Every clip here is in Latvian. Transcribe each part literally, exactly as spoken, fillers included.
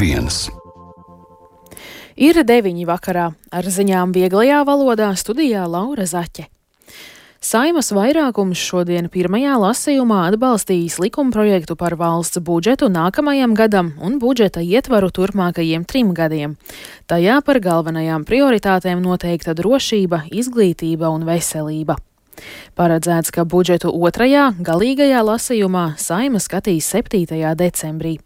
viens. Ir deviņi vakarā. Ar ziņām vieglajā valodā studijā Laura Zaķe. Saeimas vairākums šodien pirmajā lasījumā atbalstījis likumprojektu par valsts budžetu nākamajam gadam un budžeta ietvaru turpmākajiem trim gadiem. Tajā par galvenajām prioritātēm noteikta drošība, izglītība un veselība. Paredzēts, ka budžetu otrajā, galīgajā lasījumā Saeima skatīs septītajā decembrī.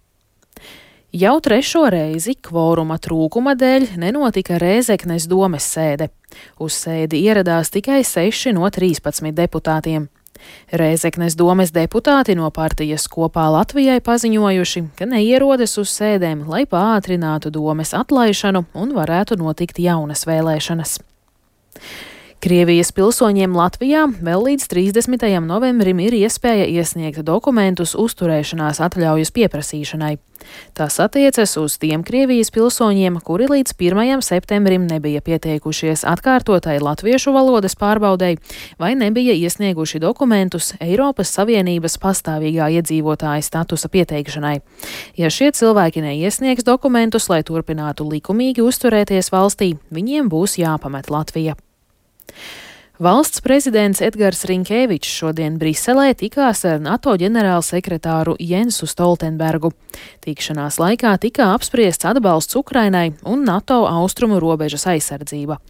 Jau trešo reizi kvoruma trūkuma dēļ nenotika Rēzeknes domes sēde. Uz sēdi ieradās tikai seši no trīspadsmit deputātiem. Rēzeknes domes deputāti no partijas Kopā Latvijai paziņojuši, ka neierodas uz sēdēm, lai pātrinātu domes atlaišanu un varētu notikt jaunas vēlēšanas. Krievijas pilsoņiem Latvijā vēl līdz trīsdesmitajam novembrim ir iespēja iesniegt dokumentus uzturēšanās atļaujas pieprasīšanai. Tas attiecas uz tiem Krievijas pilsoņiem, kuri līdz pirmajam septembrim nebija pieteikušies atkārtotai latviešu valodas pārbaudei vai nebija iesnieguši dokumentus Eiropas Savienības pastāvīgā iedzīvotāja statusa pieteikšanai. Ja šie cilvēki neiesniegs dokumentus, lai turpinātu likumīgi uzturēties valstī, viņiem būs jāpamet Latvija. Valsts prezidents Edgars Rinkēvičs šodien Briselē tikās ar NATO ģenerālsekretāru Jensu Stoltenbergu. Tikšanās laikā tika apspriests atbalsts Ukrainai un NATO austrumu robežas aizsardzība.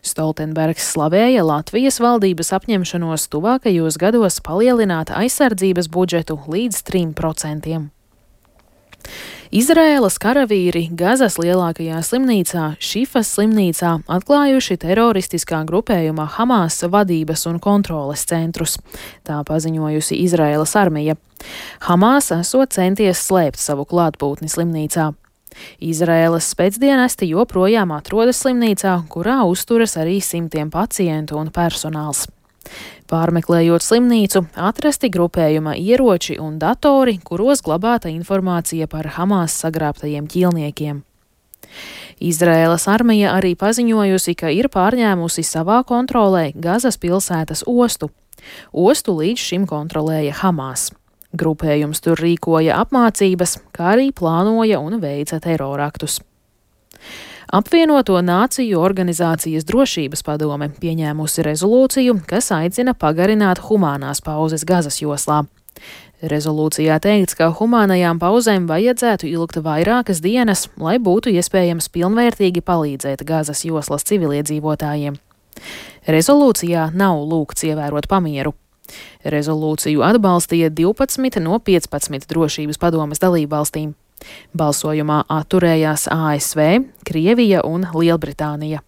Stoltenbergs slavēja Latvijas valdības apņemšanos tuvākajos gados palielināt aizsardzības budžetu līdz trim procentiem. Izraēlas karavīri Gazas lielākajā slimnīcā, Šifas slimnīcā, atklājuši teroristiskā grupējuma Hamas vadības un kontroles centrus. Tā paziņojusi Izraēlas armija. Hamas esot centies slēpt savu klātbūtni slimnīcā. Izraēlas spēcdienesti joprojām atrodas slimnīcā, kurā uzturas arī simtiem pacientu un personāls. Pārmeklējot slimnīcu, atrasti grupējuma ieroči un datori, kuros glabāta informācija par Hamas sagrābtajiem ķīlniekiem. Izraēlas armija arī paziņojusi, ka ir pārņēmusi savā kontrolē Gazas pilsētas ostu. Ostu līdz šim kontrolēja Hamas. Grupējums tur rīkoja apmācības, kā arī plānoja un veica teroraktus. Apvienoto Nāciju organizācijas drošības padome pieņēmusi rezolūciju, kas aicina pagarināt humānās pauzes Gazas joslā. Rezolūcijā teikts, ka humānajām pauzēm vajadzētu ilgt vairākas dienas, lai būtu iespējams pilnvērtīgi palīdzēt Gazas joslas civiliedzīvotājiem. Rezolūcijā nav lūgts ievērot pamieru. Rezolūciju atbalstīja divpadsmit no piecpadsmit drošības padomes dalībvalstīm. Balsojumā atturējās A S V, Krievija un Lielbritānija.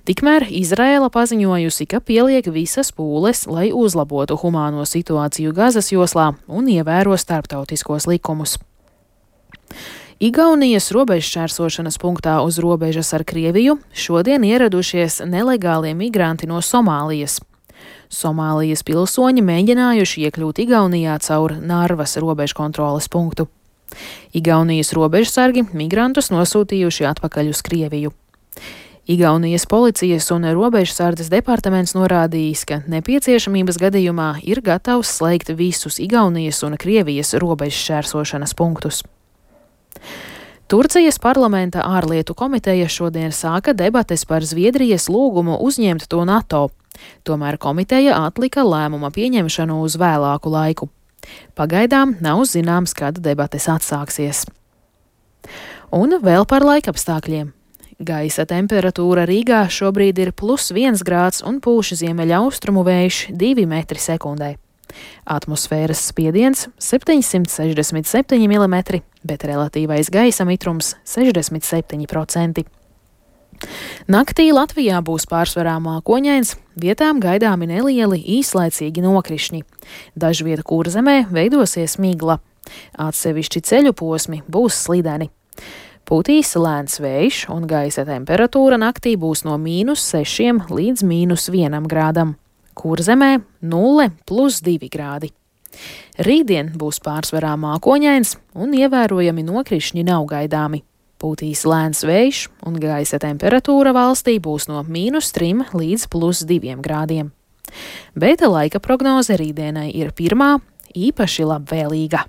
Tikmēr Izraēla paziņojusi, ka pieliek visas pūles, lai uzlabotu humāno situāciju Gazas joslā un ievēro starptautiskos likumus. Igaunijas robežšķērsošanas punktā uz robežas ar Krieviju šodien ieradušies nelegālie migranti no Somālijas. Somālijas pilsoņi mēģinājuši iekļūt Igaunijā caur Narvas robežkontroles punktu. Igaunijas robežsargi migrantus nosūtījuši atpakaļ uz Krieviju. Igaunijas policijas un robežsardzes departaments norādījis, ka nepieciešamības gadījumā ir gatavs slēgt visus Igaunijas un Krievijas robežšķērsošanas punktus. Turcijas parlamenta ārlietu komiteja šodien sāka debates par Zviedrijas lūgumu uzņemt to NATO. Tomēr komiteja atlika lēmuma pieņemšanu uz vēlāku laiku. Pagaidām nav zināms, kad debates atsāksies. Un vēl par laikapstākļiem. Gaisa temperatūra Rīgā šobrīd ir plus viens grāds un pūš ziemeļaustrumu vējš divi metri sekundē. Atmosfēras spiediens septiņsimt sešdesmit septiņi milimetri, bet relatīvais gaisa mitrums sešdesmit septiņi procenti. Naktī Latvijā būs pārsvarā mākoņains, vietām gaidāmi nelieli īslaicīgi nokrišņi. Dažviet Kurzemē veidosies migla. Atsevišķi ceļu posmi būs slideni. Pūtīs lēns vējš un gaisa temperatūra naktī būs no mīnus sešiem līdz mīnus vienam grādam. Kurzemē nulle plus divi grādi. Rītdien būs pārsvarā mākoņains un ievērojami nokrišņi nav gaidāmi. Pūtīs lēns vējš un gaisa temperatūra valstī būs no mīnus trim līdz plus diviem grādiem. Bet laika prognoze rītdienai ir pirmā īpaši labvēlīga.